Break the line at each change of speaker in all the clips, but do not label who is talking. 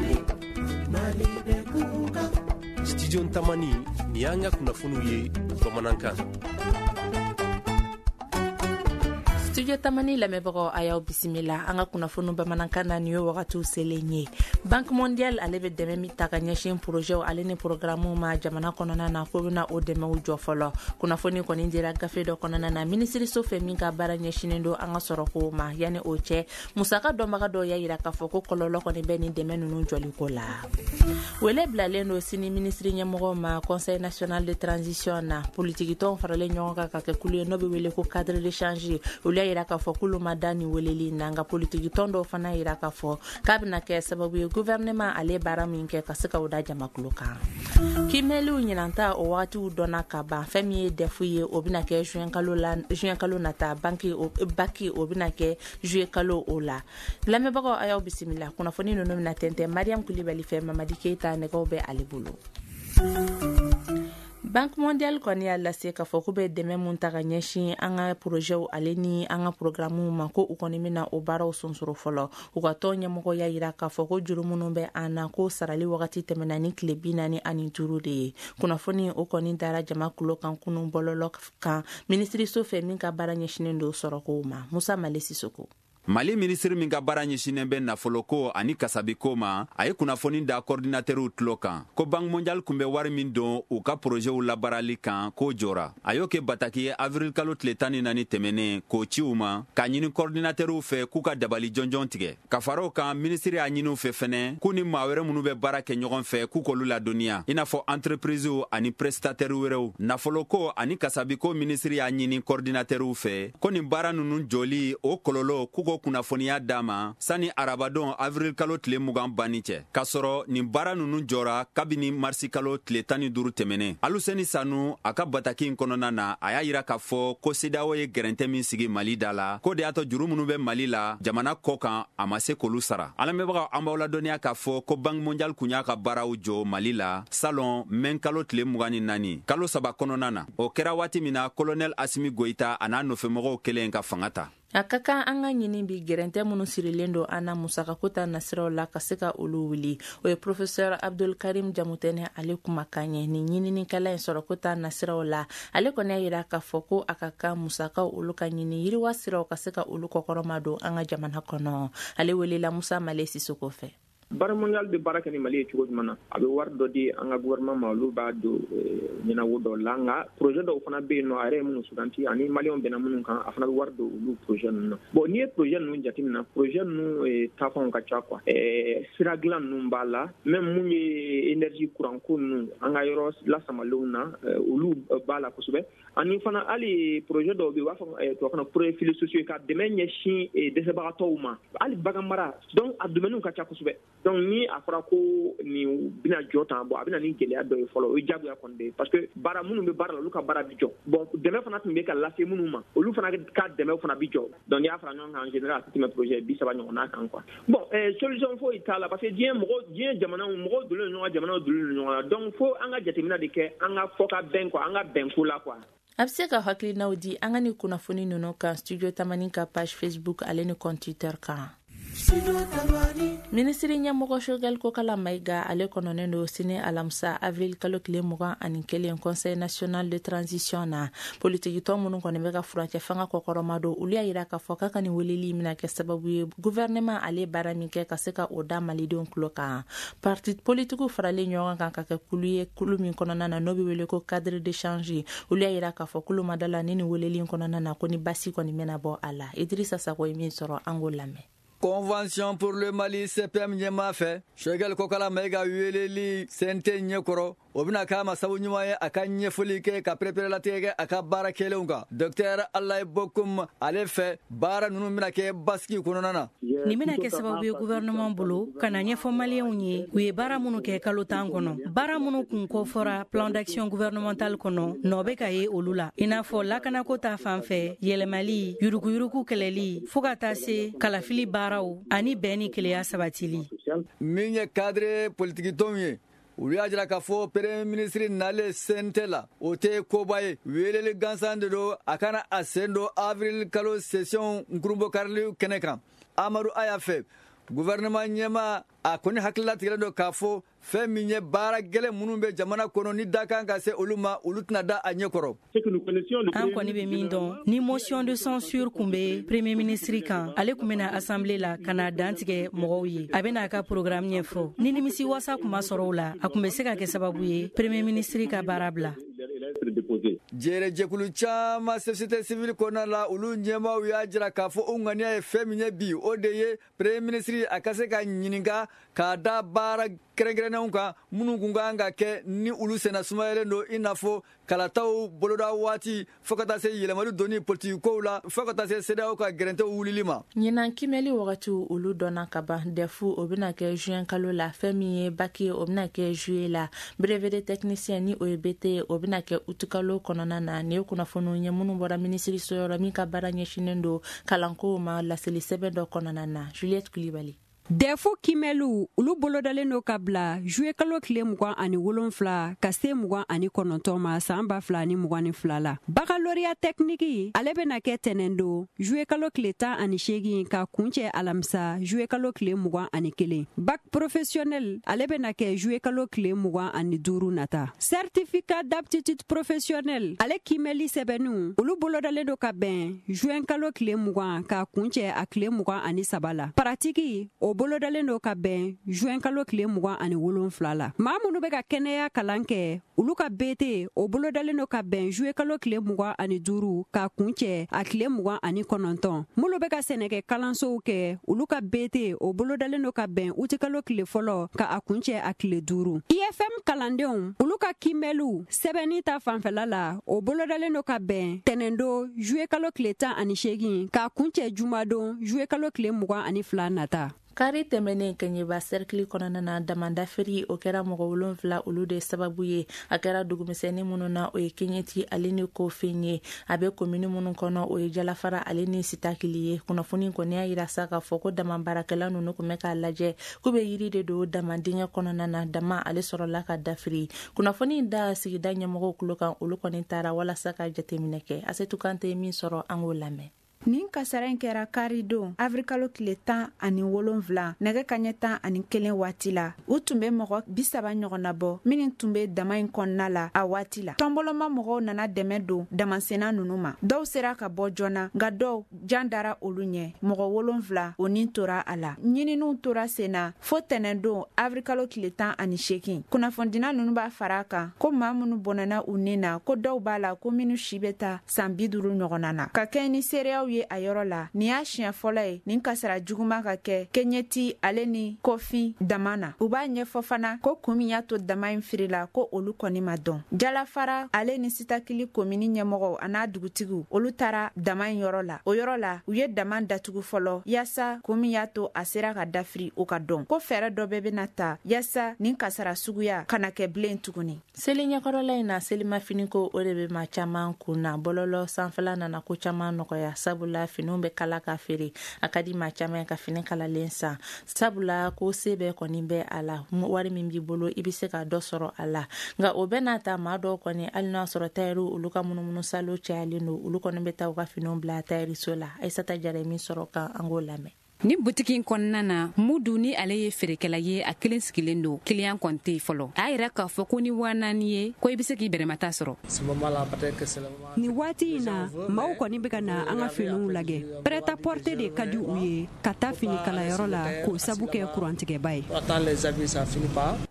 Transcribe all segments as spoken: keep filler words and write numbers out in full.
Mali, Mali bɛ kuka.
Studio Tamani, ni y'an ka kunnafoniw ye bamanankan.
Studio Tamani lamɛnbagaw, a y'aw bisimila an ka kunnafoniw bamanankan na. Nin ye wagatiw selen ye. Banque mondiale, ale bɛ dɛmɛ min ta ka ɲɛsin projets ale ni programmes ma jamana kɔnɔna na, k'o bɛna o dɛmɛw jɔ fɔlɔ. Kunnafoni kɔni dira gafe dɔ kɔnɔna na minisiriso fɛ min ka baara ɲɛsinnen don an ka sɔrɔko ma. Yanni o cɛ, musaka dɔnbaga dɔw y'a yira k'a fɔ ko kɔlɔlɔ kɔni bɛ nin dɛmɛ ninnu jɔliko la. Wele bilalen don sini minisiri ɲɛmɔgɔ ma Conseil national de transition na. Politikitɔnw faralen ɲɔgɔn kan ka kɛ kulu ye n'o bɛ wele ko Cadre d'échange, olu y'a yira k'a fɔ k'olu ma da nin weleli na. Nka politikitɔn dɔw fana yira k'a fɔ k'a bɛna kɛ sababu ye, gouvernement ale baara min kɛ, ka se ka o da jamakulu kan. Kimɛliw ɲinanta, o wagatiw dɔnna ka ban. Fɛn min ye D E F ye, o bɛna kɛ juin kalo la, juin kalo nata. Banki o bac, o bɛna kɛ juillet kalo o la. Lamɛnbagaw, a y'aw bisimila. Kunnafoni ninnu bɛna tɛntɛn Mariam Kulibali fɛ. Mamadi Keyita, nɛgɛw bɛ ale bolo. Banque mondiale kɔni y'a lase k'a fɔ k'u bɛ dɛmɛ mun ta ka ɲɛsin an ka projets ale ni an ka programmes ma, ko u kɔni bɛna o baaraw sonsoro fɔlɔ. U ka tɔn ɲɛmɔgɔ y'a yira k'a fɔ ko juru minnu bɛ an na, ko sarali wagati tɛmɛna ni tile bi naani ani duuru de ye. Kunnafoni o kɔni dara jama kulo kan kunun bɔlɔlɔ kan minisiriso fɛ min ka baara ɲɛsinnen don sɔrɔkow ma. Musa Male Sisoko.
Mali minisiri min ka baara ɲɛsinnen bɛ nafoloko ani kasabiko ma, a ye kunnafoni da kɔridinatɛriw tulo kan ko Banque mondiale kun bɛ wari min don u ka porozɛw labaarali kan, k'o jɔra. A y'o kɛ bataki ye avril kalo tile tan ni naani tɛmɛnen k'o ci u ma, k'a ɲini kɔridinatɛriw fɛ k'u ka dabali jɔnjɔn tigɛ. Ka fara o kan, minisiri y'a ɲini u fɛ fɛnɛ k'u ni maa wɛrɛ minnu bɛ baara kɛ ɲɔgɔn fɛ, k'u k'olu ladɔnniya, i n'a fɔ entreprisew ani prestataire wɛrɛw. Nafoloko ani kasabiko minisiri y'a ɲini kɔridinatɛriw fɛ ko nin baara ninnu jɔli, o kɔlɔlɔ, k'u ko kunnafoniya d'a ma sani arabadon avril kalo tile mugan banni cɛ, k'a sɔrɔ nin baara ninnu jɔra kabini marisi kalo tile tan ni duuru tɛmɛnen. Aluseni Sanu, a ka bataki in kɔnɔna na, a y'a yira k'a fɔ ko CEDEAO ye gɛrɛntɛ min sigi Mali da la, k'o de y'a to juru minnu bɛ Mali la jamana kɔ kan, a ma se k'olu sara. An lamɛnbagaw, an b'aw ladɔnniya k'a fɔ ko Banque mondiale kun y'a ka baaraw jɔ Mali la salon mɛn kalo tile mugan ni naani, kalo saba kɔnɔna na. O kɛra waati min na colonel Asimi Goyita a n'a nɔfɛmɔgɔw kelen ka fanga ta.
A ka kan an ka ɲini bi gɛrɛntɛ minnu sirilen don an na musakako ta nasiraw la, ka se ka olu wuli. O ye professeur Abdul Karim Jamutɛnɛ ale kumakan ye. Nin ɲininikɛla in sɔrɔko ta nasiraw la, ale kɔni y'a yira k'a fɔ ko a ka kan musakaw olu ka ɲini, yiriwa siraw ka se ka olu kɔkɔrɔma don an ka jamana kɔnɔ. Ale welela Musa Male Sisoko fɛ.
Banque mondiale bɛ baara kɛ ni Mali ye cogo jumɛn na? A bɛ wari dɔ di an ka gouvernement ma, olu b'a don ɲɛnawo dɔw la. Nka projet dɔw fana bɛ yen nɔ, a yɛrɛ ye minnu suganti ani maliyɛnw bɛnna minnu kan, a fana bɛ wari don olu projet ninnu na. Bon, n'i ye projet ninnu jateminɛ, projet ninnu taafanw ka ca quoi. Sira dilan ninnu b'a la, même mun ye énergie, courant ko ninnu, an ka yɔrɔ lasamalenw na, olu b'a la kosɛbɛ. Ani fana hali projet dɔw bɛ yen, u b'a fɔ tubabukan na projet filets sociaux, ka dɛmɛ ɲɛsin dɛsɛbagatɔw ma, hali bagan mara. Donc a domaine ka ca kosɛbɛ. Donc ni a fɔra ko nin bɛna jɔ tan, bon, a bɛna ni gɛlɛya dɔ ye fɔlɔ, o ye diyagoya kɔni de ye, parce que baara minnu bɛ baara la, olu ka baara bɛ jɔ. Bon, dɛmɛ fana tun bɛ ka lase minnu ma, olu fana ka dɛmɛ fana bɛ jɔ. Donc n'i y'a fara ɲɔgɔn kan, en général a tɛ tɛmɛ projet bi saba ɲɔgɔnna kan quoi. Bon, solution foyi t'a la, parce que diɲɛ mɔgɔ, diɲɛ jamanaw, mɔgɔw donnen don ɲɔgɔn, jamanaw donnen don ɲɔgɔn na. Donc fo an ka jateminɛ de kɛ, an ka fɔ ka bɛn quoi, an ka bɛn ko la quoi.
A bɛ se ka hakilinaw di an ka ni kunnafoni ninnu kan Studio Tamani ka page Facebook ale ni compte Twitter kan. Minisiri ɲɛmɔgɔ Choguel Kokala Mayiga, ale kɔnɔnen don sini alamisa avril kalo tile mugan ani kelen, Conseil national de transition na. Politikitɔn minnu kɔni bɛ ka furancɛ fanga kɔkɔrɔma don, olu y'a yira k'a fɔ k'a ka nin weleli bɛna kɛ sababu ye, gouvernement ale baara min kɛ, ka se ka o da malidenw tulo kan. Parti politikiw faralen ɲɔgɔn kan ka kɛ kulu ye, kulu min kɔnɔna na n'o bɛ wele ko Cadre d'échange, olu y'a yira k'a fɔ k'olu ma da la ni nin weleli kɔnɔna na ko ni basi kɔni bɛna bɔ a la. Idrissa Sako ye min sɔrɔ, an k'o lamɛn.
Convention pour le Mali, C P M ɲɛmaa fɛ, Choguel Kokala Mayiga weleli C N T ɲɛkɔrɔ, o bɛna k'a ma sabu ɲuman ye a ka ɲɛfɔli kɛ, ka pereperelatigɛ kɛ a ka baara kɛlenw kan. Docteur Alayi Bokum, ale fɛ, baara ninnu bɛna kɛ basigi kɔnɔna na.
Nin bɛna kɛ sababu ye gouvernement bolo ka na ɲɛfɔ maliyɛnw ye u ye baara minnu kɛ kalo tan kɔnɔ, baara minnu kun kɔfɔra plan d'action gouvernemental kɔnɔ, nɔ bɛ ka ye olu la, i n'a fɔ lakanako ta fan fɛ, yɛlɛmali, yuruguyurugu kɛlɛli, fɔɔ ka taa se kalafili baaraw ani bɛn ni keleya sabatili.
Min ye cadre politikitɔnw ye, olu y'a jira k'a fɔ premier ministre nalen C N T la, o tɛ koba ye, weleli gansan de don a kana a sen don avril kalo session nkurunbokarili kɛnɛ kan. Amadu Aya fɛ, Gouvernement ɲɛmaa a kɔni hakililatigɛlen don k'a fɔ fɛn min ye baara gɛlɛn minnu bɛ jamana kɔnɔ ni da kan ka se olu ma, olu tɛna da a ɲɛkɔrɔ.
An kɔni bɛ min dɔn, ni motion de censure kun bɛ premier ministre kan, ale kun bɛna assemblée la ka na dantigɛ mɔgɔw ye, a bɛna a ka programme ɲɛfɔ. Ni nimisi wasa kun ma sɔrɔ o la, a kun bɛ se ka kɛ sababu ye premier ministre ka baara bila.
Jɛrɛjɛkulu caman société civile kɔnɔna la, olu ɲɛmaaw y'a jira k'a fɔ o ŋaniya ye fɛn min ye bi, o de ye premier ministre a ka se ka ɲininka k'a da baara kɛrɛnkɛrɛnnenw kan minnu kun kan ka kɛ ni olu senna sumayalen don, i n'a fɔ kalataw boloda waati, fo ka taa se yɛlɛmali donni politiki kow la, fo ka taa se CEDEAO ka gɛrɛntɛw wulili ma.
Ɲinan kimɛli wagatiw olu dɔnna ka ban. D E F o bɛna kɛ juin kalo la, fɛn min ye bac ye o bɛna kɛ juillet la, brevet de technicien ni o ye B T ye o bɛna kɛ août kalo kɔnɔna na. Nin ye kunnafoniw ye minnu bɔra minisiri so yɔrɔ min ka baara ɲɛsinnen don kalankow ma, laseli sɛbɛn dɔ kɔnɔna na. Juliette Kulibali.
D E F kimɛliw olu bolodalen do ka bila juillet kalo tile mugan ani wolonfila ka se mugan ani kɔnɔntɔn ma saan ba fila ni mugan ni fila la. Baccalauréat technique ale bena kɛ tɛnɛn don juillet kalo tile tan ani seegin ka kuncɛ alamisa juillet kalo tile mugan ani kelen. Bac professionnel ale bena kɛ juillet kalo tile mugan ani duuru nata. Certificat d'aptitude professionnelle ale kimɛli sɛbɛnniw olu bolodalen do ka bɛn juin kalo tile mugan ka kuncɛ a tile mugan ani saba la. Pratique o bolodalen do ka bɛn juin kalo tile mugan ani wolonfila la. Maa minnu bɛ ka kɛnɛya kalan kɛ, olu ka B T o bolodalen do ka bɛn juillet kalo tile mugan ani duuru ka kuncɛ a tile mugan ani kɔnɔntɔn. Minnu bɛ ka sɛnɛkɛ kalansow kɛ, olu ka B T o bolodalen do ka bɛn uti kalo tile fɔlɔ ka a kuncɛ a tile duuru. I F M kalandenw olu ka kimɛliw sɛbɛnni ta fanfɛla la, o bolodalen do ka bɛn tɛnɛndo juillet kalo tile tan ani seegin ka kuncɛ jumadon juillet kalo tile mugan ani fila nata.
Kari tɛmɛnen, Kɛɲɛba sɛrikili kɔnɔna na, damandafiri o kɛra mɔgɔ wolonfila olu de sababu ye. A kɛra dugumisɛnnin minnu na, o ye Keɲɛti ale ni Kofin ye. A bɛ komini minnu kɔnɔ, o ye Jalafara ale ni Sitakili ye. Kunnafoni kɔni y'a yira sa k'a fɔ ko dama baarakɛla ninnu kun bɛ k'a lajɛ k'u bɛ yiri de don dama dingɛ kɔnɔna na, dama ale sɔrɔla ka dafiri. Kunnafoni da sigida ɲɛmɔgɔw tulo kan, olu kɔni taara walasa ka jateminɛ kɛ. Asetu Kante ye min sɔrɔ, an k'o lamɛn.
Nin kasara in kɛra kari don awirilikalo tile tan ani wolonfila nɛgɛ kaɲɛ tan ani kelen waati la. U tun bɛ mɔgɔ bisaba ɲɔgɔnna bɔ minnu tun bɛ dama in kɔnɔna la a waati la. Tɔnbɔlɔma mɔgɔw nana dɛmɛ don damasenna ninnu ma. Dɔw sera ka bɔ joona, nka dɔw jan dara olu ɲɛ. Mɔgɔ wolonfila o nin tora a la. Ɲininiw tora sen na fo tɛnɛndon awirilikalo tile tan ani seegin. Kunnafonidina ninnu b'a fara a kan ko maa minnu bɔnɛna u nin na, ko dɔw b'a la ko minnu si bɛ taa san bi duuru ɲɔgɔnna na. Ka kɛ ni seereyaw ye a yɔrɔ la, nin y'a siɲɛ fɔlɔ ye nin kasara juguman ka kɛ Keɲɛti ale ni Kɔfin dama na. U b'a ɲɛfɔ fana ko kun min y'a to dama in firila, ko olu kɔni ma dɔn. Jalafara ale ni Sitakili komini ɲɛmɔgɔw a n'a dugutigiw, olu taara dama in yɔrɔ la. O yɔrɔ la, u ye dama datugu fɔlɔ yaasa kun min y'a to a sera ka dafiri, o ka dɔn. Ko fɛɛrɛ dɔ bɛɛ bɛna ta yaasa nin kasara suguya kana kɛ bilen tuguni.
Seli ɲɛkɔrɔla in na, selimafiniko o de bɛ maa caman kun na. Bɔlɔlɔ sanfɛla nana ko caman nɔgɔya, sabula finiw bɛ kala ka feere. A ka di maa caman ye ka fini kalalen san, sabula ko se bɛɛ kɔni bɛ a la, wari min b'i bolo i bɛ se ka dɔ sɔrɔ a la. Nka o bɛɛ n'a ta, maa dɔw kɔni, hali n'a sɔrɔ tayɛriw olu ka munumunu salo cayalen don, olu kɔni bɛ taa u ka finiw bila tayɛriso la. Ayisata Jara ye min sɔrɔ kan, an k'o lamɛn.
Ni butiki in kɔnɔna na, Mudu ni ale ye feerekɛla ye, a kelen sigilen don, client kɔni tɛ yen fɔlɔ. A y'a yira k'a fɔ ko ni waa naani ye ko i bɛ se k'i bɛrɛmata sɔrɔ.
Nin waati in na, maaw kɔni bɛ ka na an ka finiw lajɛ. Prêt-à-porter de ka di u ye ka taa fini kalayɔrɔ la, k'o sabu kɛ kurantigɛba ye.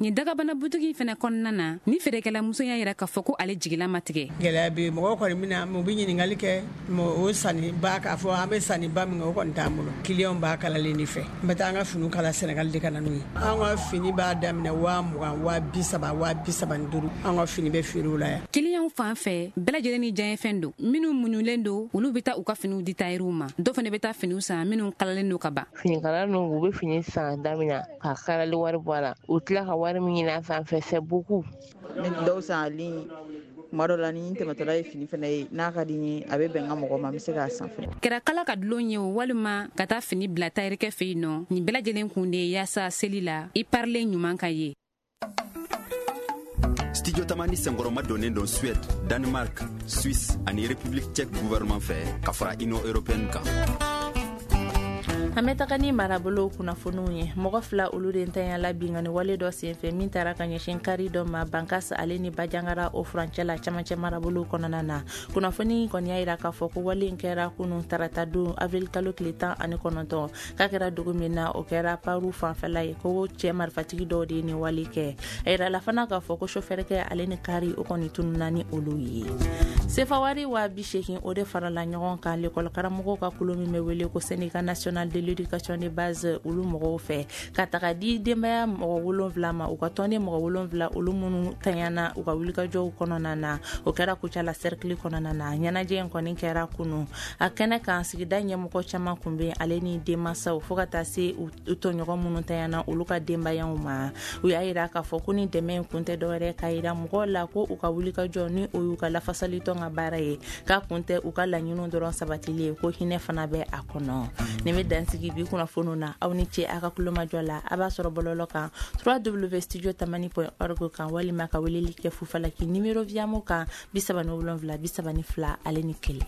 Nin dagabana butiki in fɛnɛ kɔnɔna na, ni feerekɛla muso y'a yira k'a fɔ ko ale jigila ma tigɛ.
Gɛlɛya bɛ yen. Mɔgɔw kɔni bɛna, u bɛ ɲininkali kɛ, o sanni ba k'a fɔ an bɛ sanni ba min kɛ, o kɔni t'an bolo. Client b'a kalalen de fɛ. N bɛ taa an ka finiw kala Sɛnɛgali de ka na n'u ye. An ka fini b'a daminɛ waa mugan, waa bi saba, waa bi saba ni duuru. An ka fini bɛ feere o la yan.
Clientw fan fɛ, bɛɛ lajɛlen ni diyaɲɛfɛn don. Minnu muɲulen don, olu bɛ taa u ka finiw di tayɛriw ma. Dɔw fana bɛ taa finiw san minnu kalalen don ka ban.
Finikala ninnu, u bɛ fini san daminɛ ka kalali wari bɔ a la, u tila ka wari min ɲini a sanfɛ, c'est beaucoup.
Ne dɔw san en ligne. Tuma dɔ la, ni n tɛmɛtɔla ye fini fana ye n'a ka di n ye, a bɛ bɛn n ka mɔgɔ ma, n bɛ se k'a san fɛnɛ.
Kɛra kala ka dulon ye o, walima ka taa fini bila tayɛrikɛ fɛ yen nɔ, nin bɛɛ lajɛlen kun de ye yaasa seli la i parilen ɲuman ka ye.
Studio Tamani senkɔrɔma donnen don Suède, Danemark, Suisse ani République tchèque gouvernement fɛ ka fara Union européenne kan.
An bɛ taga ni marabolo kunnafoniw ye. Mɔgɔ fila olu de ntanyala binkanni wale dɔ senfɛ min taara ka ɲɛsin kari dɔ ma Bankas ale ni Bajangara o furancɛ la camancɛ marabolo kɔnɔna na. Kunnafoni kɔni y'a yira k'a fɔ ko wale in kɛra kunun tarata don avril kalo tile tan ani kɔnɔntɔn, k'a kɛra dugu min na o kɛra Paru fanfɛla ye, ko cɛ marifatigi dɔw de ye nin wale kɛ. A yirala fana k'a fɔ ko sofɛrikɛ ale ni kari o kɔni tununna ni olu ye. Sefawari wa bi seegin o de farala ɲɔgɔn kan lekɔli karamɔgɔw ka kulu min bɛ wele ko Syndicat national de l'éducation de base olu mɔgɔw fɛ ka taga di denbaya mɔgɔ wolonfila ma, u ka tɔnden mɔgɔ wolonfila olu minnu tanyana u ka wulikajɔw kɔnɔna na. O kɛra Kucala cercle kɔnɔna na. Ɲɛnajɛ in kɔni kɛra kunu a kɛnɛ kan, sigida ɲɛmɔgɔ caman kun bɛ ale ni denmansaw fo ka taa se u tɔɲɔgɔn minnu tanyana olu ka denbayaw ma. U y'a yira k'a fɔ ko ni dɛmɛ in kun tɛ dɔwɛrɛ k'a yira mɔgɔw la ko u ka wulikajɔ ni o y'u ka lafasalitɔn ka baara ye, k'a kun tɛ u ka laɲiniw dɔrɔn sabatili ye, ko hinɛ fana bɛ a kɔnɔ. Nin bɛ dansigi bi kunnafoniw na. Aw ni ce a ka kulomajɔ la. A b'a sɔrɔ bɔlɔlɔ kan w w w point studio tamani point org kan, walima ka weleli kɛ Fufalaki nimero Viamo kan bi saba ni wolonwula bi saba ni fila ale ni kelen.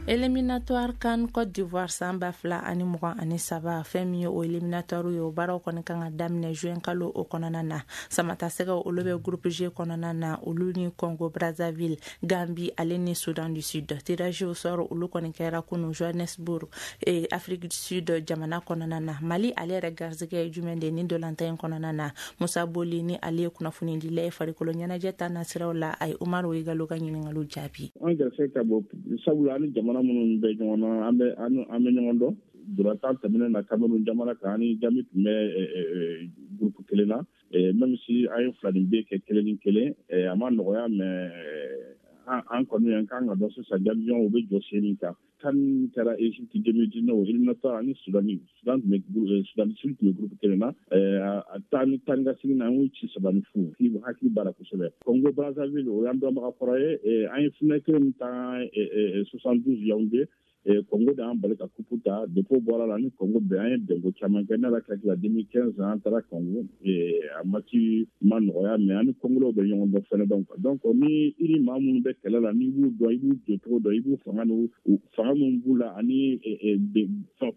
Éliminatoire CAN Côte d'Ivoire san ba fila ani mugan ani saba, fɛn min ye o éliminatoire ye, o baaraw kɔni kan ka daminɛ juin kalo o kɔnɔna na. Samatasɛgɛw olu bɛ groupe G kɔnɔna na, olu ni Congo Brazzaville, Gambie ale ni Soudan du Sud. Tirage au sort olu kɔni kɛra kunu Johannesburg et Afrique du Sud jamana kɔnɔna na. Mali ale yɛrɛ garisɛgɛ ye jumɛn de ni ntolantan in kɔnɔna na? Musa Boli ni ale ye kunnafonidila ye farikolo ɲɛnajɛ ta nasiraw la, a ye Umaru Igalo ka ɲininkaliw jaabi.
An garisɛgɛ ka bon sabula ani jamana minnu bɛ ɲɔgɔn na, an bɛ an bɛ ɲɔgɔn dɔn. Ntolantan tɛmɛnen na Cameroun jamana kan, ani Gambie tun bɛ groupe kelen na, même si an ye fila ni bɛ kɛ kelen ni kelen, a ma nɔgɔya, mais an kɔni an kan ka dɔn sisan Gambien u bɛ jɔ sen min kan. CAN kɛra Égypte deux mille dix-neuf éliminatoire ani Soudan Soudan tun bɛ Soudan du Sud tun bɛ groupe kelen na, a taa ni taa ni ka segin na an y'u ci saba ni fu, hakili b'a la kosɛbɛ. Congo Brazzaville o y'an dɔnbaga kɔrɔ ye, an ye finale kelen min ta soixante-douze Yaoundé, Congo de y'an bali ka coupe ta. Depuis o bɔra la ni Congo bɛɛ an ye bɛnko caman kɛ. Ne yɛrɛ hakili la deux mille quinze an taara Congo, a match ma nɔgɔya, mais an ni Congolais bɛ ɲɔgɔn dɔn fɛnɛ. Donc donc ni i ni maa minnu bɛ kɛlɛ la, n'i b'u dɔn, i b'u jɔcogo dɔn, i b'u fanga n'u fanga minnu b'u la ani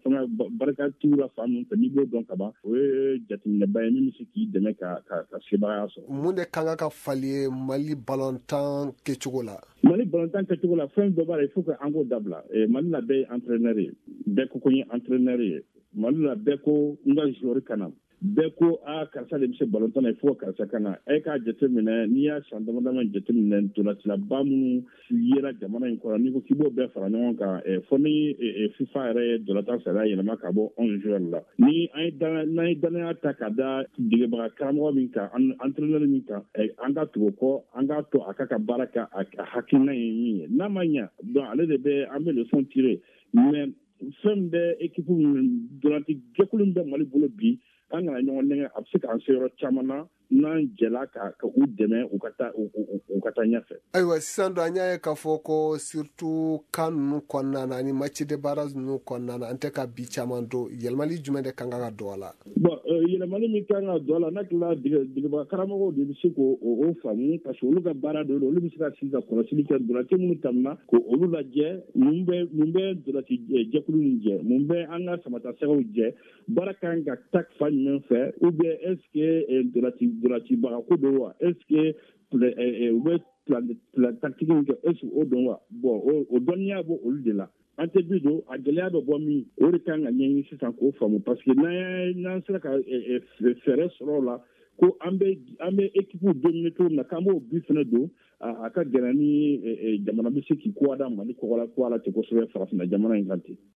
fanga barika t'u la fan min fɛ, n'i b'o dɔn ka ban, o ye jateminɛba ye min bɛ se k'i dɛmɛ ka ka ka sebagaya sɔrɔ.
Mun de kan ka falen Mali balontan kɛcogo la?
Mali balontan kɛcogo la, fɛn dɔ b'a la, il faut que an k'o dabila. Mali la bɛɛ ye entraîneur ye, bɛɛ ko ko n ye entraîneur ye. Mali la bɛɛ ko n ka joueur ka na, bɛɛ ko a karisa de bɛ se balontan na, il faut karisa ka na. E k'a jateminɛ, n'i y'a san dama dama jateminɛ, ntolacilaba minnu yera jamana in kɔnɔ, n'i ko k'i b'o bɛɛ fara ɲɔgɔn kan, fo ni FIFA yɛrɛ ye ntolantan sariya yɛlɛma ka bɔ onze joueurs la. Ni an ye n'an ye danaya ta ka da degebaga karamɔgɔ min kan, entraîneur min kan, an ka tugu o kɔ, an k'a to a ka ka baara kɛ a hakilina ye min ye. N'a ma ɲa, donc ale de bɛ an bɛ leçon tirer. Mais fɛn bɛ équipe ntolanci jɛkulu min bɛ Mali bolo bi, an kana ɲɔgɔn nɛgɛ, a bɛ se k'an se yɔrɔ caman na n'an jɛla ka ka u dɛmɛ u ka taa u ka taa ɲɛfɛ.
Ayiwa, sisan don an y'a ye k'a fɔ ko surtout CAN ninnu kɔnɔna na ani match de barrage ninnu kɔnɔna na, an tɛ ka bi caman don. Yɛlɛmali jumɛn de kan ka don a la?
Bon, yɛlɛmali min kan ka don a la, n'a tilala degebaga karamɔgɔw de bɛ se k'o o faamu, parce que olu ka baara de don, olu bɛ se ka sigi ka kɔlɔsili kɛ ntolanci minnu tɛmɛna k'olu lajɛ, mun bɛ mun bɛ ntolanci jɛkulu nin jɛ, mun bɛ an ka samatasɛgɛw jɛ, baara kan ka taa fan jumɛn fɛ, ou bien est ce que ntolanci ntolancibaga ko don wa, est ce que u bɛ plan tactique min kɛ, est ce que o don wa? Bon, o dɔnniya b'o olu de la. An tɛ bi don a gɛlɛya bɛ bɔ min, o de kan ka ɲɛɲini sisan k'o faamu, parce que n'an n'an sera ka fɛɛrɛ sɔrɔ o la ko an bɛ an bɛ équipe dominer cogo min na, k'an b'o bi fɛnɛ don, a ka gɛlɛn ni jamana bɛ se k'i ko da Mali kɔgɔ la ko ala ten kosɛbɛ farafinna jamana in kan ten.